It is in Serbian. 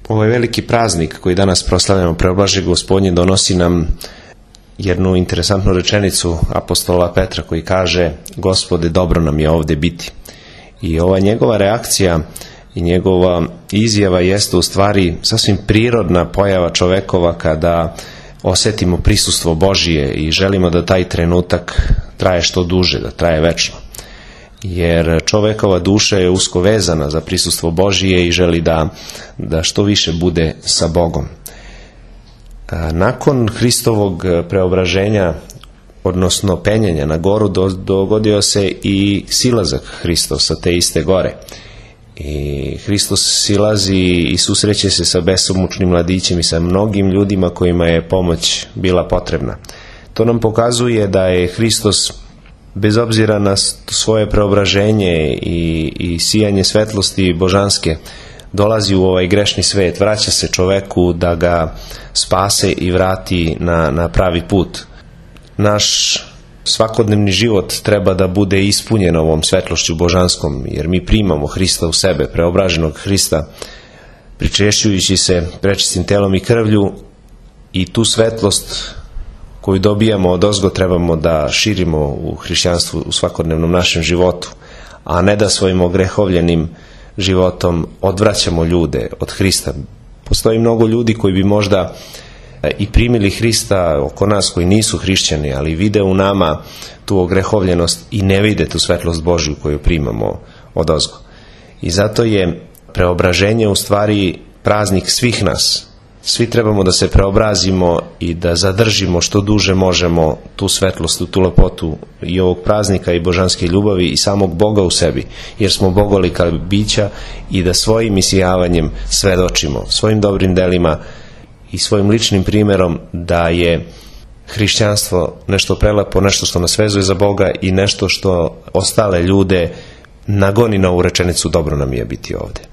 Ovaj veliki praznik koji danas proslavljamo, Preoblažje Gospodnje, donosi nam jednu interesantnu rečenicu apostola Petra koji kaže: Gospode, dobro nam je ovdje biti. I ova njegova reakcija i njegova izjava jeste u stvari sasvim prirodna pojava čovekova kada osetimo prisustvo Božije i želimo da taj trenutak traje što duže, da traje večno. Jer čovekova duša je usko vezana za prisustvo Božije i želi da što više bude sa Bogom. Nakon Hristovog preobraženja, odnosno penjanja na goru, dogodio se i silazak Hristov sa te iste gore. I Hristos silazi i susreće se sa besomučnim mladićem i sa mnogim ljudima kojima je pomoć bila potrebna. To nam pokazuje da je Hristos, bez obzira na svoje preobraženje i sijanje svetlosti božanske, dolazi u ovaj grešni svet, vraća se čoveku da ga spase i vrati na pravi put. Naš svakodnevni život treba da bude ispunjen ovom svetlošću božanskom, jer mi primamo Hrista u sebe, preobraženog Hrista, pričešćujući se prečistim telom i krvlju, i tu svetlost koju dobijamo odozgo trebamo da širimo u hrišćanstvu u svakodnevnom našem životu, a ne da svojim ogrehovljenim životom odvraćamo ljude od Hrista. Postoji mnogo ljudi koji bi možda i primili Hrista oko nas koji nisu hrišćani, ali vide u nama tu ogrehovljenost i ne vide tu svetlost Božju koju primamo odozgo. I zato je preobraženje u stvari praznik svih nas. Svi trebamo da se preobrazimo i da zadržimo što duže možemo tu svetlost, tu lepotu i ovog praznika i božanske ljubavi i samog Boga u sebi, jer smo bogolika bića, i da svojim isijavanjem svedočimo, svojim dobrim delima i svojim ličnim primjerom da je hrišćanstvo nešto prelepo, nešto što nas vezuje za Boga i nešto što ostale ljude nagoni na ovu rečenicu: dobro nam je biti ovdje.